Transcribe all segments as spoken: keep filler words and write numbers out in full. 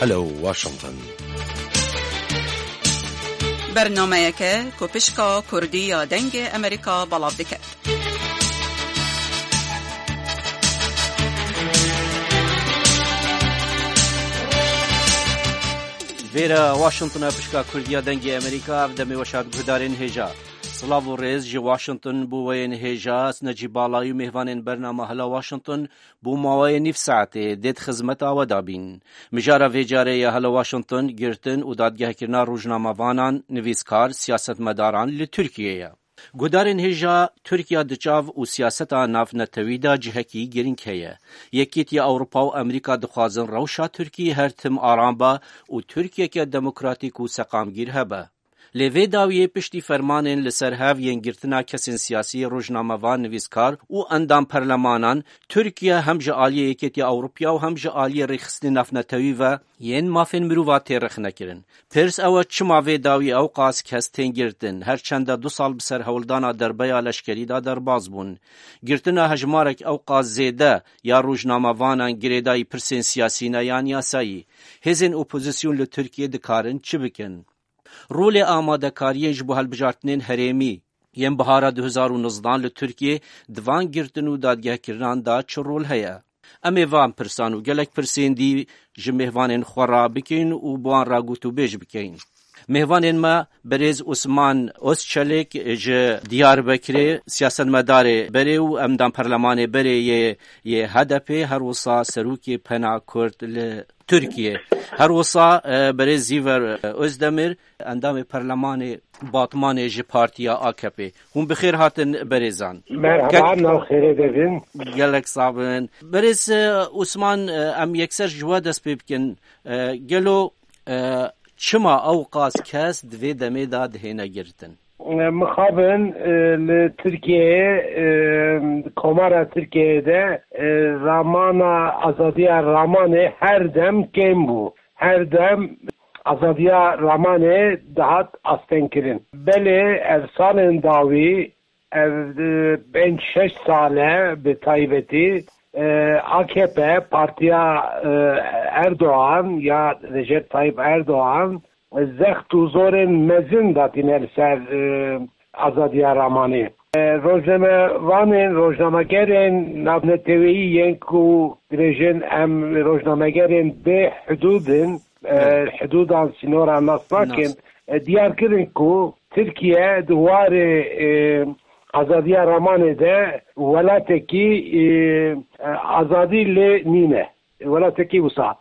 Hello Washington. Bernameyeke ku pişka Kurdî ya Dengê Amerîka belav dike. Vêre Washington e, pişka Kurdî ya Dengê Amerîka, ev demê weşa guhdarên hêja. Silav û rêz ji Washington bo we yên hêja, ez Necîb Balayî û mêvanên bernama Hela Washington bo maweyê nîv saetê dê di xizmeta we de bîn. Mijara vê carê ya Hela Washington girtin û dadgehkirina rojnamevanan, nivîskar, siyasetmedaran li Tirkiyê ye. Guhdarên hêja, Tirkiye di çav û siyaseta navnetewî de cihekî girîng heye. Yekîtiya Ewropa û Amerîka dixwazin rewşa Tirkiyê her tim aram be û Tirkiyeke demokratîk û seqamgîr hebe. Lê vê dawiyê piştî fermanên li ser hev yên girtina kesên siyasî, rojnamevan, nivîskar û endam perlemanan, Tirkiye hem ji aliyê Yekêtiya Ewropiya û hem ji aliyê rêxistinê navnetewî ve yên mafên mirova tê rexnekirin. Pirs ew e, çima vê dawî ewqas kes tên girtin, her çende du sal bi ser hewldana derbeya leşkerî de derbas bûn? Girtina hejmarek ewqas zêde ya rojnamevanan girêdayî pirsên siyasî ne yan yasayî? Hêzên opozîsyon li Tirkiyê dikarin çi bikin? Rolê amadekariyên ji bo hilbijartinên herêmî yên bihara du hezar û nozdehan li Tirkiyê di van girtin û dadgehkirinan de çi rol heye? Em ê van pirsan û gelek pirsên dî ji mêvanên xwe re bikin û bi wan re gotûbêj bikin. Mêvanên me, birêz Osman Ozçelik ji Diyarbekirê, siyasetmedarê berê û endam perlemanê berê yê, yê H D P, her wisa serokê Pena Kurd li Tirkiye. Her wisa, e, berê Zîver, e, Özdemir, endamê perlemanê Batmanê ji partiya A K P. Hûn bi xêr hatin berêzan. Merhaba, Gel- nav xêrê de bin. Gelek sax bin. Berêz, e, Osman, e, em yekser ji we dest pê bikin. E, gelo, e, çima ew qas kes di vê demê de dihêne girtin? Mixabin, e, li Tirkiyeyê, e, Komara Tirkiyeyê de, e, ramana, azadiya ramanê her dem kêm bû. Her dem azadiya ramanê dihat astengkirin. Belê ev salên dawî, ev, e, pênc şeş sal e bi taybetî, e, A K P, partiya, e, Erdoğan ya Recep Tayyip Erdoğan, zext û zorên mezin datîne li ser, e, azadiya ramanê. E, rojnamevanên, rojnamegerên navneteweyî yên ku dibêjin em rojnamegerên bê hidûd in, e, Evet. hidûdan sînoran nas nakin, Nas. e, diyar kirin ku Tirkiye di warê, e, azadiya ramanê de welatekî, e, e, azadî lê nîne. Welatekî wisa.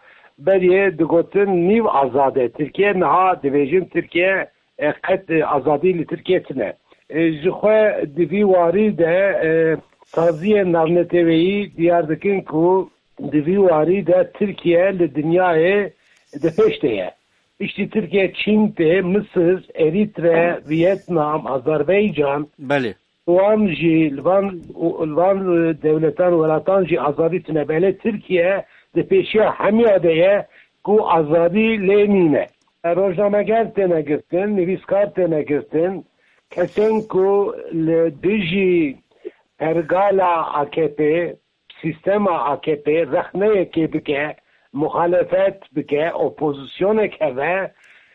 Berê digotin nîv azad e. Tirkiye niha dibêjin Tirkiye, e, qet, e, azadî li Tirkiye tine. E, ji xwe di vî warî de, e, saziyên navneteweyî diyar dikin ku di vî warî de Tirkiye li dinyayê di pêş de ye. Piştî Tirkiye Çîn tê, Misir, Erître, Vietnam, Azerbaycan, Belê. wan jî, li van, li van, e, dewletan, welatan jî azadî tune. Belê Tirkiye di pêşiya hemiya de ye ku azadî lê nîne. Rojnameger têne girtin, nivîskar têne girtin, kesên ku li dijî pergala A K P, sîstema A K P rexneyekê bike, muxalefet bike, opozîsyonek hebe,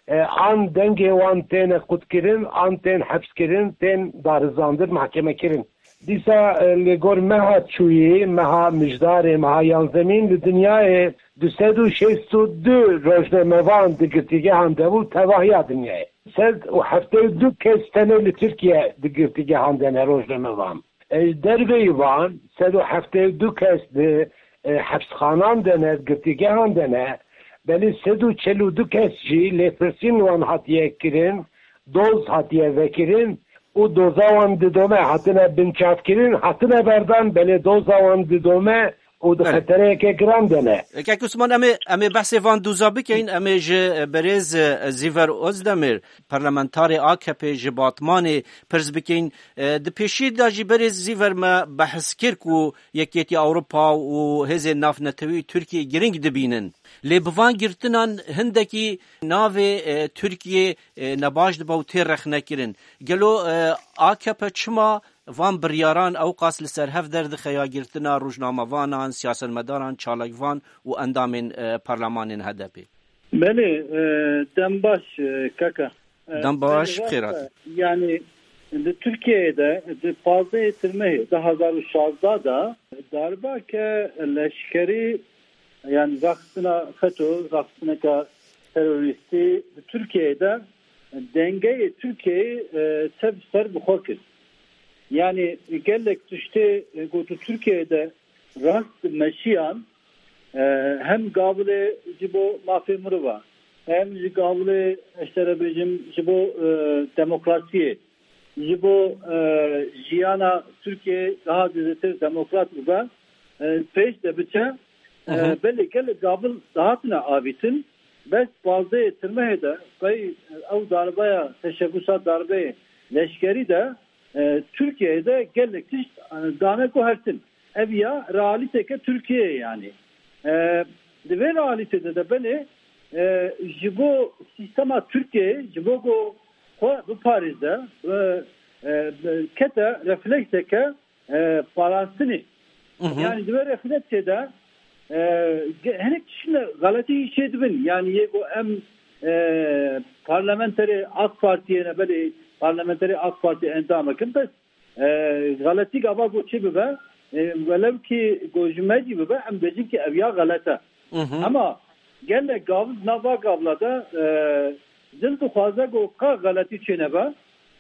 e, an dengê wan têne qutkirin, an tên hepskirin, tên darizandin, mahkemekirin. Dîsa, e, li gor meha çûyî, meha Mijdarê, meha yanzemîn li dinyayê du sed û şêst û du rojnamevan di girtîgehan de bû, tevahiya dinyayê. Sed û heftê û du kes tenê li Tirkiye di girtîgehan de ne rojnamevan. E, ji derveyî van, sed û heftê û du kes di, e, hepsxanan de ne, girtîgehan de ne, belê sed û çel û du kes jî lêpirsîn wan hatiye kirin, doz hatiye vekirin û doza wan didome, hatine binçavkirin, hatine berdan, belê doza wan didome û di Belê. xetereyeke giran de ne. Kek Osman, em ê, em ê behsê van doza bikeyin, em ê ji, e, berêz, e, Zîver Özdemir, parlamentarê A K P ji Batmanê pirs bikeyin. E, di pêşî de jî berêz Zîver me behs kir ku Yekêtiya Ewropa û hêzên navnetewî Tirkiyê girîng dibînin. Lê bi van girtinan hindekî navê, e, Tirkiyê, e, nebaş dibe û tê rexnekirin. Gelo, e, A K P çima van biryaran ewqas li ser hev derdixe ya girtina rojnamevanan, siyasetmedaran, çalakvan û endamên, e, parlemanên H D P? Belê, e, dem baş, e, kaka. E, Dem baş, belê, bi xêr rast e. Hatî. Yani, di Türkiye'de, di pazdehê Tirmehê du hazar û şazdeh de darbake leşkerî, yani raxistina FETÖ, raxistineka terorîstî di Türkiye'de dengeyê Türkiye'yê, e, tev ser bi xwe kir. Yani gelek tiştê, e, ku di Türkiye'de rast meşiyan, e, hem gavilê ji bo mafê mirova, hem ji gavilê, ez te re bêjim, ji bo, e, demokrasiyê, ji bo, e, jiyana Türkiye daha zêdetir demokrat bibe, e, pêş de biçe. E, Hı hı. Belê gelek gavil dihatine avîtin, bes pazdehê Tirmehê de qey ew darbeya, teşebbûsa darbeyê leşkerî de, e, Tirkiyeyê de gelek tişt, e, dane guhertin. Ev ya realîteke Tirkiyeyê yani. E, di vê realîtê de, de belê, e, ji bo sîstema Tirkiyeyê, ji bo ku xwe biparêze, e, e, kete reflekseke, e, parastinê. Hı hı. Yani di vê refleksê de, e, ge-, hinek tiştine xeletî çêdibin. Yani yê ku em, e, parlamenterê AK Partiyê ne, belê parlamenterê AK Partiyê endamek in, bes, e, xeletî gava ku çi bibe, e, welew ki ku ji me jî bibe, em bêjin ki ev ya xelet e. Hı hı. Ama gelek gav, nava gavla de, e, dil dixwaze ku ka xeletî çênebe,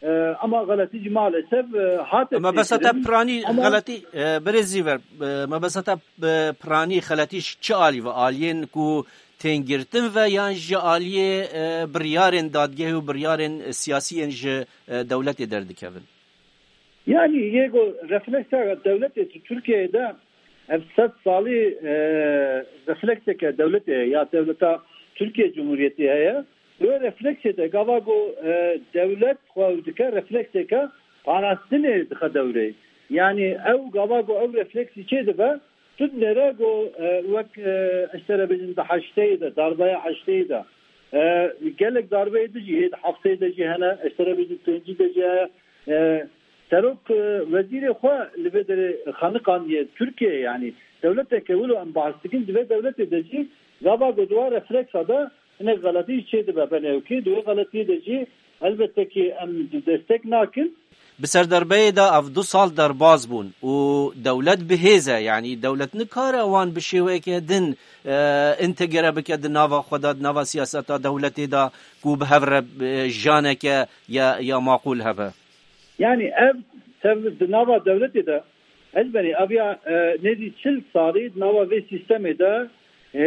e, ama xeletî jî maalesef, e, hate Mebesta te çêkirin. Piranî Ama xeletî, e, birêz Zîver, e, mebesta te, e, piranî xeletî ji çi alî ve? Aliyên ku tên girtin ve yan ji aliyê, e, biryarên dadgehê û biryarên siyasî yên ji, e, dewletê derdikevin? Yani yê ku refleksa dewletê ji Tirkiyeyê de ev sed salî, e, reflekseke dewletê ya dewleta Tirkiye Cumhuriyetê heye. Wê refleksê de gava ku, e, dewlet xwe dike reflekseke parastinê dixe dewrê. Yani ew gava ku ew refleksî çê dibe, tu dinêre ku, e, wek, e, ez te re bêjim di heşteyê de, darbeya heşteyê de, e, gelek darbeyê di jî hê di hefteyê de jî hene, ez te re bêjim pêncî de jî heye. E, Serok, e, wezîrê xwe li vê derê xeniqandiye Tirkiye, yani dewleteke wilo em behs dikin, di vê dewletê de jî gava ku di wan refleksa de hinek xeletî jî çê dibe, belê ewkê, di wê xeletiyê de jî elbette ki em destek nakin. Bi ser darbeyê de ev du sal derbaz bûn û dewlet bi hêz e, yani dewlet nikare wan bi şêweyeke din, e, întegre bike di nava xwe de, di nava siyaseta dewletê de ku bi hev re, e, janeke ya, ya maqûl hebe. Yani ev tev di nava dewletê de, ez benî aviya, e, nêzî çil salî di nava vê sîstemê de, e,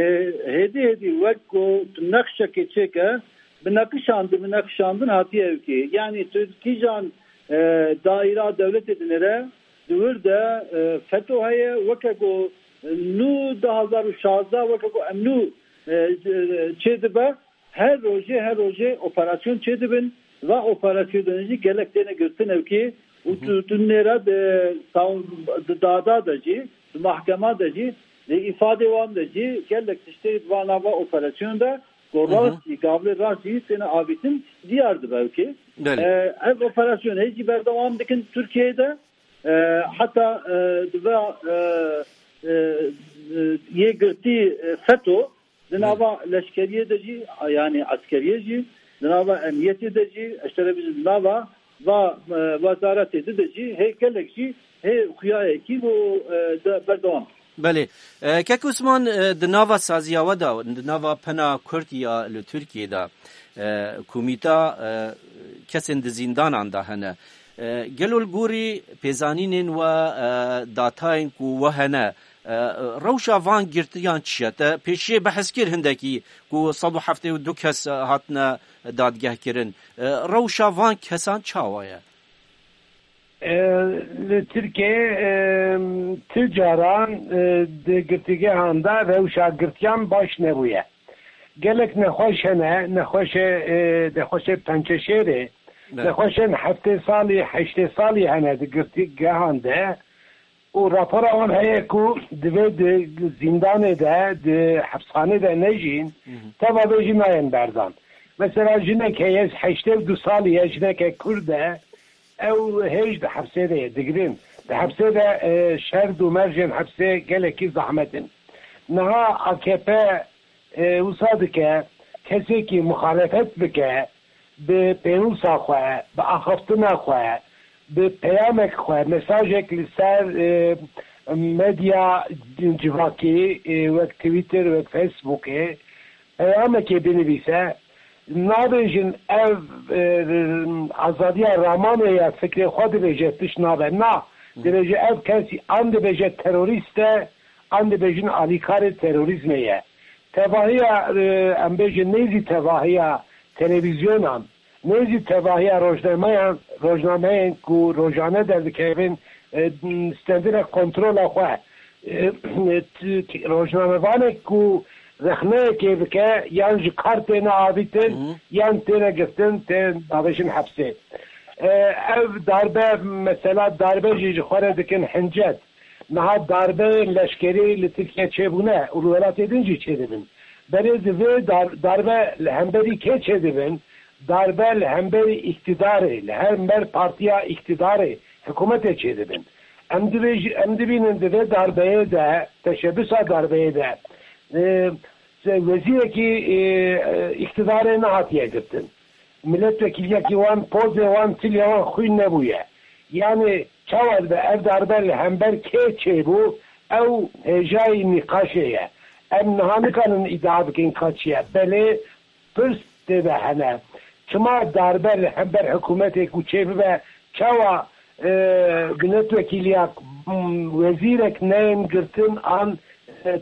hêdî hêdî wek ku tu nexşekê çêke, bi neqişandin, bi neqişandin hatiye ewkê. Yani tu kîjan, e, daîra dewletê dinêre, di wir de, e, FETÖ heye, weke ku, e, nû du hazar û şazdeh, weke ku em nû, e, e, çêdibe, her rojê, her rojê operasyon çêdibin. Va operasyonê jî gelek têne girtin ewkê û Hı hı. tu, tu nêra di, di dada de jî, di mahkema de jî, di îfadê wan de jî gelek tiştê di va nava operasyon de ku Hı hı. rast jî, gavlê rast jî têne avîtin diyar dibe ewkê. Belê. E, ev operasyon hê jî berdewam dikin Tirkiyeyê de. E, heta, e, di va, e, e, e, yê girtî, e, FETÖ, di Hı. nava leşkeriyê de jî, yani eskeriyê jî, di nava emniyetê de jî, ez te re bêjim, di nava va, e, wezaretê di de jî, hê gelek jî, hê xuyayekî bû, e, de berdewam. Belê. E, Kek Osman, e, di nava saziya we de, di nava pena Kurd ya li Tirkiyê de, e, komîta, e, kesên di zîndanan de hene. E, gelo li gorî pêzanînên we, e, datayên ku we hene, e, rewşa van girtiyan çi ye? Te pêşiyê behs kir hindekî ku sed û heftê û du kes hatine dadgehkirin. E, rewşa van kesan çawa ye? E, li Tirkiyeyê, e, ti caran, e, di girtîgehan de rewşa girtiyan baş nebûye. Gelek nexweş hene, nexweşê, e, nexweşê pençeşêrê, Belê. nexweşên heftê salî, heştê salî hene di girtîgehan de û rapora wan heye ku divê di zîndanê de, di hepsxanê de nejîn, Hı hı. teva vê jî nayên berdan. Mesela jinek heye, heştê û du salî ye, jineke Kurd e, ew hêj di hepsê de ye, digirin. Di hepsê de, e, şerd û mercên hepsê gelekî zehmet in. Niha A K P, e, wisa dike, Kesekî muxalefet bike, bi pênûsa xwe, bi axaftina xwe, bi peyamek xwe, mesajek li ser, e, medya civakî, e, wek Twitter, wek Facebookê, peyamekê binivîse, nabêjin ev, e, azadiya ramanê ya fikrê xwe dibêje tişt nabe. Na, dibêje ev kesî an dibêje terorîst e, an dibêjin alîkarê terorîzmê ye. Tevahiya, e, em bêjin nêzî tevahiya televîzyonan, nêzî tevahiya rojnameyan, rojnameyên ku rojane derdikevin, e, stendine kontrola xwe. E, t-, t-, rojnamevanek ku rexneyekê bike yan ji kar têne avîtin, Hı hı. yan têne girtin, tên davêjin hepsê. E, ev darbe, mesela darbe jî ji xwe re dikin hincet. Niha darbeyên leşkerî li Tirkiye çêbûne û li welatê din jî çêdibin. Berê di vê dar-, darbe li hemberî kê çêdibin? Darbe li hemberî îktidarê, li hember partiya îktidarê, hikûmetê çêdibin. Em dibêj-, em dibînin di vê darbeyê de, teşebbisa darbeyê de, e, se-, wezîrekî, e, e, îktidarê nehatiye girtin. Milletvekiliyekî wan, pozê wan, tilya wan xwîn nebûye. Yanî çawa dibe ev darbe li hember kê çêbû, ew hêjayî nîqaşê ye. Em niha nikarin îdia bikin ka çi ye. Belê pirs tê de hene. Çima darbe li hember hikûmetê ku çêbibe, çawa, e, milletvekiliya, m, wezîrek neyên girtin an, e,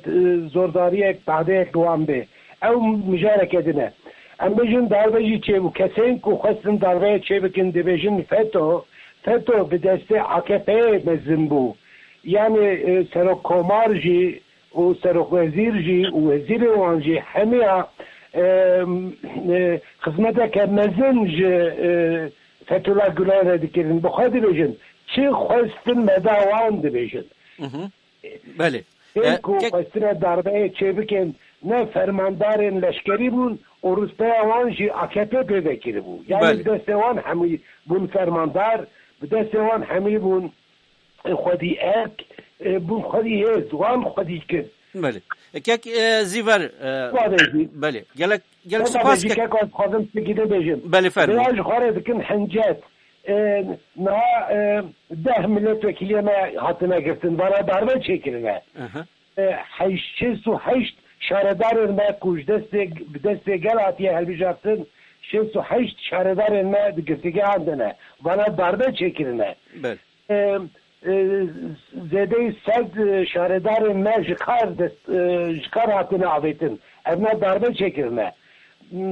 zordariyek, badeyek li wan bê? Ew mijareke din e. Em bêjin darbe jî çêbû. Kesên ku xwestin darbeyê çêbikin dibêjin feto. Feto bi destê A K P'yê mezin bû. Yanî, e, serokkomar jî û serokwezîr jî û wezîrê wan jî hemiya, e, e, xizmeteke mezin ji, e, Fethullah Gulen re dikirin. Bi xwe dibêjin. Çi xwestin me da wan dibêjin. Hı hı. Belê. Tên E, ku kek- xwestine darbeyê çêbikin, ne fermandarên leşkerî bûn û rûspêya wan jî A K P pê vekiribû. Yani Belê. bi destê wan hemî bûn fermandar, bi destê wan hemî bûn, e, xwedî erk, e, bûn xwedî hêz, wan xwedî kir. Belê. E, kek, e, Zîver, e, Wadê jî. belê. Gelek, gelek Hema supas jî ke- kek ez dixwazim tiştekî din bêjim. Belê, fermo. Vêya ji xwe re dikin hincet. E, niha, e, deh milletvekiliya me hatine girtin, vana darbe çêkirine. Aha. E, heşt, şêst û heşt şaredarên me ku ji destê, bi destê gel hatiye hilbijartin, şêst û heşt şaredarên me di girtîgehan de ne. Vana darbe çêkirine. Belê. E, e, zêdeyî sed şaredarên me ji kar dest, e, ji kar hatine avêtin. Evna darbe çêkirine.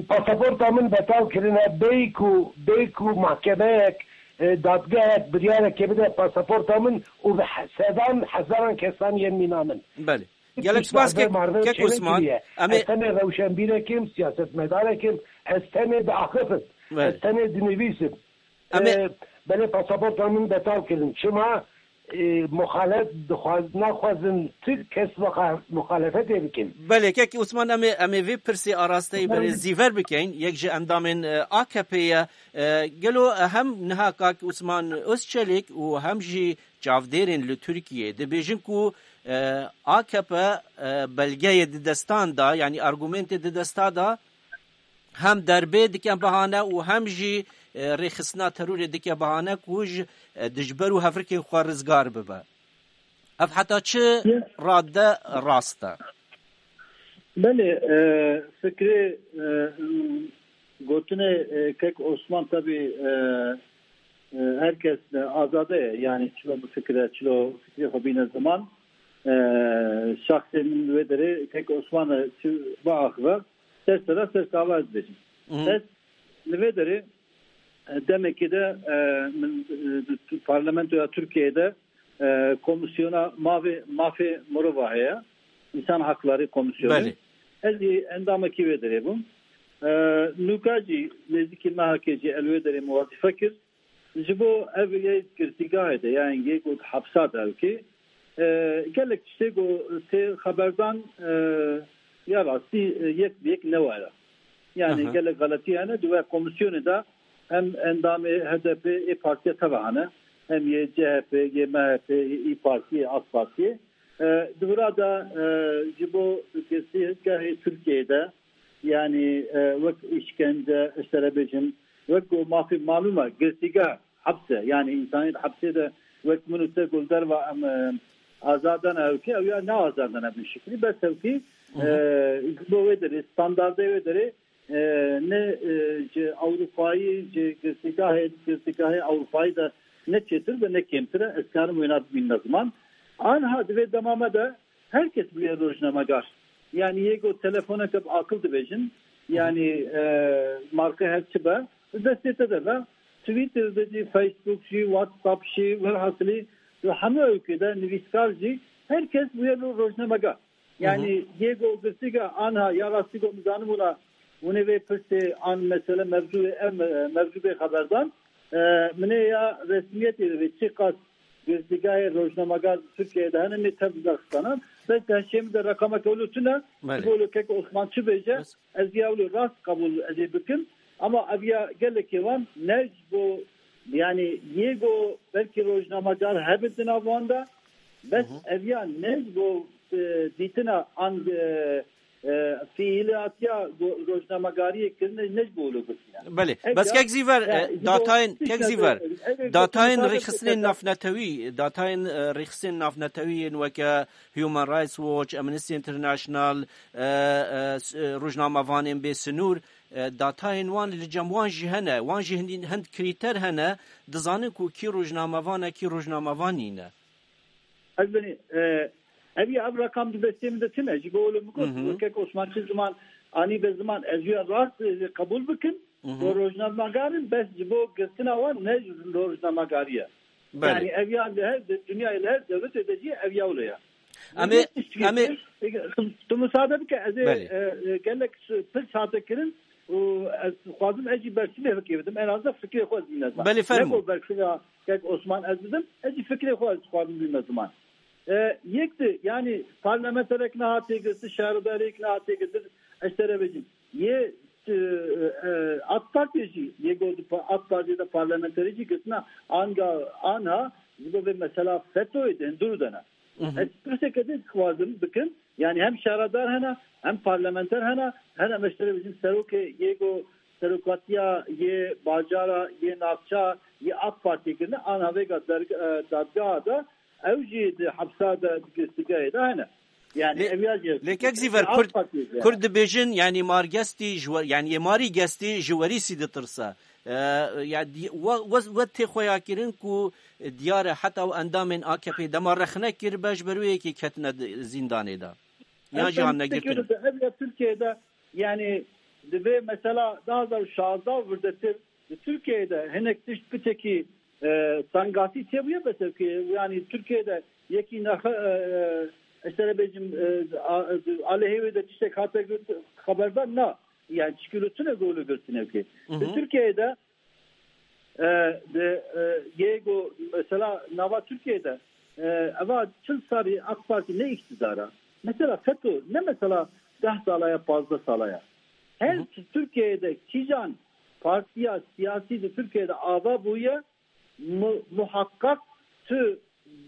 Pasaporta min betal kirine, bêyî ku, bêyî ku mahkemeyek, e, dadgehek biryarekê bide pasaporta min û bi he-, sedan hezaran kesan yên mîna min. Belê. Gelek spas kek, kek Osman. Em ê Ez tenê rewşenbîrek im, siyasetmedarek im, ez tenê diaxifim. Belê. Ez tenê dinivîsim. Em ê E, belê pasaporta min betal kirin. Çima? E, muxalef dixwaz-, naxwazin tu kes muxa-, muxalefetê bikin. Belê, kek Osman, em ê, em ê vê pirsê arasteyî berê Zîver bikeyn, yek ji endamên, e, A K P'ê ye. E, gelo, e, hem niha kak Osman Özçelik û hem jî çavdêrên li Tirkiyê dibêjin ku, e, A K P, e, belgeyê di destan da, yanî argumentê di desta da, hem derbê dike bahane û hem jî, e, rêxistina terorê dike bahane ku ji, e, dijber û hevrikên xwe rizgar bibe. Ev heta çi Ya. radde rast e? Belê, e, fikrê, e, gotinê, e, kek Osman tabî, e, e, her kes, e, azade ye. Yani çilo bifikire, çilo fikrê xwe bîne ziman. E, şaxsê min wê derê kek Osman e çi biaxive, ser sera ser sava ez dibêjim. Hı hı. Ez li vê derê, e, demekê de, e, min, e, di tu-, parlamentoya Tirkiyeyê de, e, komisyona mavê, mafê mirova heye. İnsan Hakları Komisyonu. Belê. Ez jî endamekî wê derê bûm. E, nûka jî nêzîkî mehekê jî el wê derê min wezîfe kir. Ji bo ev yê girtîgahê de, yan yê ku di hepsa de ew kê, e, gelek tiştê ku tê xeberdan, e, ya rastî, e, yek bi yek ne were. Yani Aha. gelek xeletî hene, di wê komisyonê de hem endamê H D P ê partiya teva hene, hem yê C H P, yê M H P, yê İYİ Parti, yê AK Parti. E, di vira de, e, ji bo girtîgehê Tirkiyeyê de, Yani, e, wek îşkence, ji te re bêjim, wek ku mafê malûm e, girtîgeh, hepse. Yani, însanê di hepsê de wek min û te ku li derva em, e, azad dana hewkî, ew ya ne azad dana bin şiklî, bes hewkî, Hı hı. e, ji bo wê derê, standardê wê derê, e, ne, e, ji Ewropayî, ji girtîgahê, girtîgahê Ewropayî de ne çêtir ve ne kêmtir e, ez karim wêna bibînim ziman. Anha di vê dema me de her kes bûye rojnamegar. Yani yê ku telefoneke bi aqil dibêjin, yani, e, marka her çi be, di destê te de be, Twitter de jî, Facebook jî, WhatsApp jî, welhasilî, di hemû ewkê de nivîskar jî, her kes bûye ro-, rojnamegar. Hı hı. Yani yê ku girtîgeh anha ya rastî ku min zanibûna hûnê vê pirsê an mesele mevzûyê ev me-, mevzû bê xeberdan, e, minê ya resmiyetê de vê çiqas girtîgehê rojnamegar Tirkiyeyê de hene, nê tev derxistana. Bes di hişê min de reqameke wilo tune, Belê. Ji bo wilo kek Osman çi bêje, Bes. Ez ya wilo rast qebûl ez ê bikim. Ama ev ya gelekê wan ne ji bo, yani yê go belkî rojnamegar hebin di nav wan de, bes Hı hı. Ev ya ne ji bo, e, dîtina an, e, e, fiîlatiya go-, rojnamegariyê kirine, ne ji bo wilo gotiye. Belê. Ev Bes ya, kek Zîver, ya, e, ji bo datayên, kek tiştek Zîver, ev, ev datayên gotiye, rêxistinên ev navnetewî, datayên, e, rêxistinên navnetewî yên weke Human Rights Watch, Amnesty International, e, e, s-, e, rojnamevanên bê sinûr, e, datayên wan li cem wan jî hene. Wan jî hindî-, hind krîter hene, dizanin ku kî rojnamevan e, kî rojnamevan nîne. Ez benî, e, ev ya ev rakam di destê min de tune. Ji bo wilo min got, Hı hı. wekek Osman çi ziman anî be ziman, ez ya rast, e, qebûl bikim. Hı hı. Bo rojnamegarin, bes ji bo girtina wan ne ji rojnamegariye. Belê. Yani ev ya li her de, dinyayê li her dewletê de jî ev ya wilo ya. Em ê, Yek tişt em ê girtin, tu, tu misade bike, ez ê, Belê. e, e, gelek s-, pirs hate kirin û ez dixwazim ez jî bersivê fikê bidim. En azından fikrê xwe ez bîne ziman. Belê, fermo. Ne ku bersivê kek Osman ez bidim, ez jî fikrê xwe ez dixwazim bîme ziman. E, yek de, yani parlamenterek nehatiye girtin, şaredarek nehatiye girtin, ez te re bêjim. Yê, e, e, AK Partiyê jî, yê got pa-, AK Partiyê de parlamenterê jî girtina anga, anha, ji bo vê mesela fetoyê de, hundir de ne. Hı hı. Ez pirseke din dixwazim bikim, yani hem şaredar hene, hem parlamenter hene, hene meştere bizim serokê, yê got serokatiya, yê bajara, yê navça, yê AK Partiyê kirine, anha vêga derg-, e, dadgeha de, ew jî di hepsa de, di girtîgehê de hene. Yani Lê, ev ya jî lê kek Zîver, AK Kurd, Partiyê de. Kurd dibêjin, yani mar gestî ji we-, yani yê marî gestî ji werîsî ditirse. E, ya di-, we, we, we tê xweya kirin ku diyar e heta ew endamên A K P dema rexne kir, beş ber wê yekê ketine di-, zîndanê de. Yan Ev jî ben han negirtin. Ev ya Tirkiyeyê de, yani divê mesela du hazar û şazdeh û virdetir di Tirkiyeyê de hinek tişt piçekî, e, tengasî çêbûye, bes ev ki, yani Tirkiyeyê de yekî nexe, e, e, ez te re bêjim, e, a-, aleyhê wê de tiştek hate got, xeberdan na. Yani çikî li tune golu girtin ev ki. Hı hı. Di Tirkiyeyê de, e, di, e, yê go mesela nava Tirkiyeyê de, e, eva çil sarî AK Partî ne îktidar e. Mesela feto ne mesela deh sala ya, pazdeh sala ya. Her Hı hı. Tirkiyeyê de kîjan partiya siyasî di Tirkiyeyê de ava bûye, mu-, muhakkak tu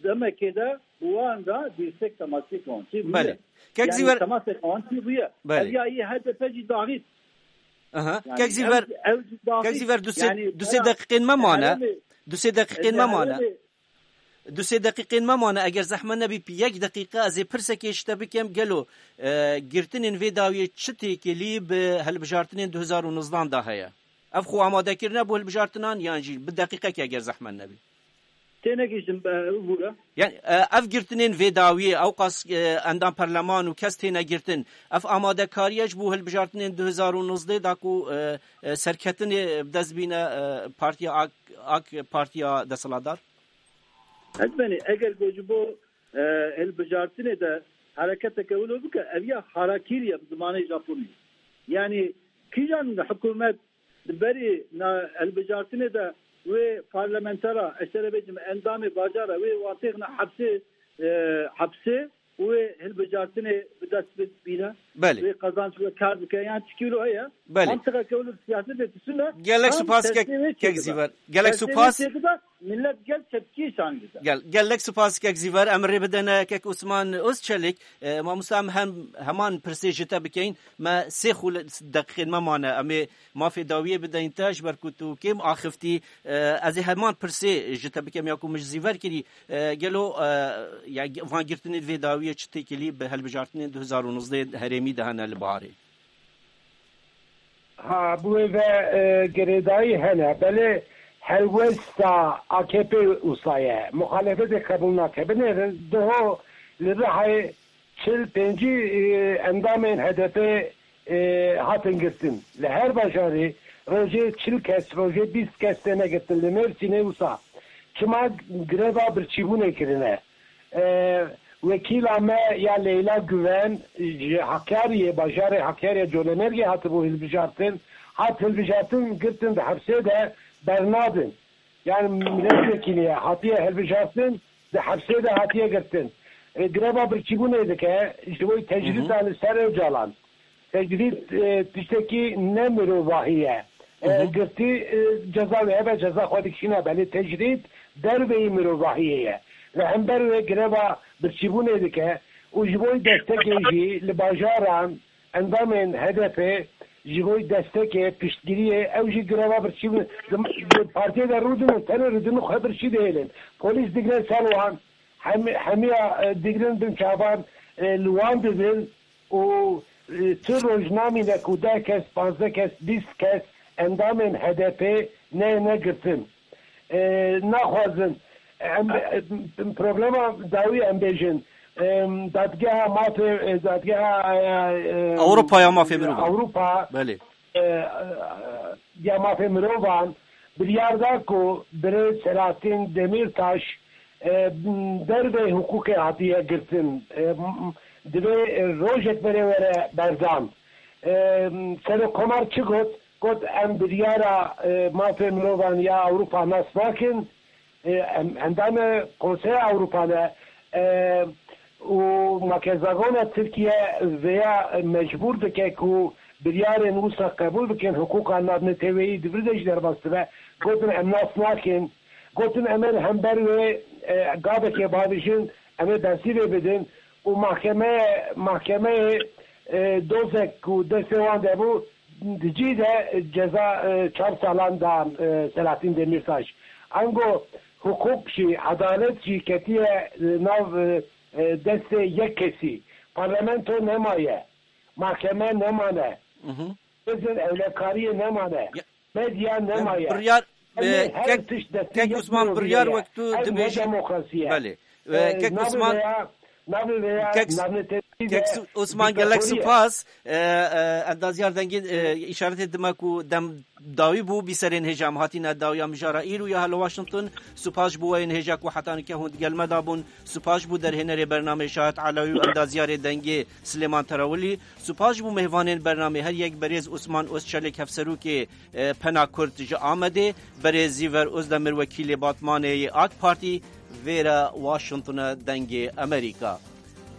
demekê de bi wan re dîrsek temasê kawancî bûye. Belê. Kek Yani Zîver temasê kawancî bûye. Belê. Ev ya yê H D P jî daxît. Aha. Yani Kek Zîver, ev, ev jî daxît. Kek Zîver, du sê, Yani du sê deqîqên me mane. Herêmê, Du sê deqîqên me mane. Herêmê, Du sê deqîqên me mane, eger zehmet nebî, yek deqîqe ez ê pirsekê ji te bikim, gelo, e, girtinên vê dawiyê çi têkilî bi hilbijartinên du hezar û nozdehan de heye? Ev xwe amadekirine bo hilbijartinan yan jî bi deqîqekê eger zehmet nebî? Tênegihîştim, e, bûra. Yani, e, ev girtinên vê dawiyê, ewqas, e, endam perleman û kes têne girtin, ev amadekariye ji bo hilbijartinên du hezar û nozdeh da ku, e, e, serketinê bi dest bîne, e, partiya AK, AK partiya desthilatdar? Etbenî, eger ku ji bo, e, hilbijartinê de hereketeke wilo bike, ev ya harakiri ye bi zimanê Japonî. Yani kîjan hikûmet di berî na hilbijartinê de wê parlamentera, ez te re bêjim, endamê bajara wê wan têxine hepsê, e, hepsê û wê hilbijartinê bi dest bîne, Belê. wê qazanç, wê kar bike. Yan çikî wilo heye? Belê. Mantiqeke wilo siyasetê tiştine Gelek tam spas tersê kek, wê kek çêdibe. Zîver. Gelek Tersê wê spas. çêdibe. Millet gel tepkî san dide. Gel, gelek spas kek Zîver, em rê bidene kek Osman Özçelik. E, mamosta, em hem, heman pirsê ji te bikeyin. Me sê xûl deqîqên me mane. Em ê mafê dawiyê bideyin te, ji ber ku tu kêm axiftî. E, ez ê heman pirsê ji te bikem ya ku min ji Zîver kirî. E, gelo, e, ya, van girtinê vê dawiyê çi têkilî bi hilbijartinên du hezar û nozdeh herêmî de hene li biharê? Ha, bi wê ve, e, girêdayî hene. Belê helwesta A K P wisa ye. Muxalefetê qebûl nake. Binêrin, diho li Rihayê çil pêncî, e, endamên H D P, e, hatin girtin. Li her bajarê rojê çil kes, rojê bîst kes têne girtin. Li Mêrsînê wisa. Çima greva birçîbûnê kirine? E, wekîla me ya Leyla Güven ji Hakkari'ye, bajarê Hakkari'ye, Colemêrgê hatibû hilbijartin. Hat hilbijartin, girtin di hepsê de bernadin. Yani milletvekiliye hatiye hilbijartin, di hepsê de hatiye girtin. E, greva birçîbûnê dike, ji bo tecrîd Hı hı. li ser Ocalan. Tecrîd, e, tiştekî ne mirovahî ye. E, Hı hı. Girtî, e, ceza wê hebe, ceza xwe dikişîne, belê tecrîd derveyî mirovahiyê ye. Li hember wê greva birçîbûnê dike û ji bo destekê jî li bajaran endamên H D P ji bo destekê, piştgiriyê, ew jî greva birçîbûnê di, di partiyê de rûdinin, tenê rûdinin xwe birçî dihêlin. Polîs digre ser wan, hemi-, hemiya, e, digrin bin çavan, e, li wan didin. û, e, tu roj namîne ku deh kes, pazdeh kes, bîst kes endamên H D P neyêne girtin. E, naxwazin, em, e, problema dawî em bêjin, e, dadgeha mafê, e, dadgeha, e, e, Ewropa ya mafê mirovan. Ewropa, Belê. e, e, ya mafê mirovan biryar da ku birêz Selahattin Demirtaş, e, derveyî hiqûqê hatiye girtin. E, m-, m-, divê, e, rojek berê were berdan. E, Serokkomar çi got? Got, em biryara, e, mafê mirovan ya Ewropa nas nakin. E, em, endamê Konseya Ewropa ne, e, û makezagona Tirkiye vêya mecbûr dike ku biryarên wisa qebûl bikin, hiqûqa navneteweyî di vir de jî derbas dibe. Gotin, em nas nakin. Gotin, em ê li hember wê, e, gavekê bavêjin, em ê bersîvê bidin û mahkemeye, mahkemeyê, e, dozek ku destê wan de bû, di cî de ceza, e, çar salan da, e, Selahattin Demirtaş. Ango hiqûq jî, edalet jî ketiye, e, nav, e, e, destê yek kesî. Parlamento nemaye. Mahkeme nemane. Mhm. Bizin ewlekariyê nemane. Ya, Medya em nemaye. Biryar, Em ê e, her kek, tişt destê kek yek Osman, mirovî biryar ye. Wek tu Ev ne dibêjî. Demokrasî ye. Belê. E, E, kek navê Osman, veya, navê veya kek, navnetewî kek ve Su-, Osman, gelek diktatorî ye. Spas. E, e, endazyar dengê, e, îşaretê dime ku dem dawî bû, bîserên hêja em hatîne dawiya mijara îro ya li Washington. Spas ji bo weyên hêja ku heta nike hûn digel me de bûn. Spas ji bo derhênerê bernameyê Şahid Elewî û endazyarê dengê Silêman Terawilî. Spas ji bo mêvanên bernamê, her yek berêz Osman Özçelik, hevserokê, e, Pena Kurd ji Amedê, berêz Zîver Özdemir, wekîlê Batmanê yê AK Partî, vêre Washingtonê dengê Amerîka.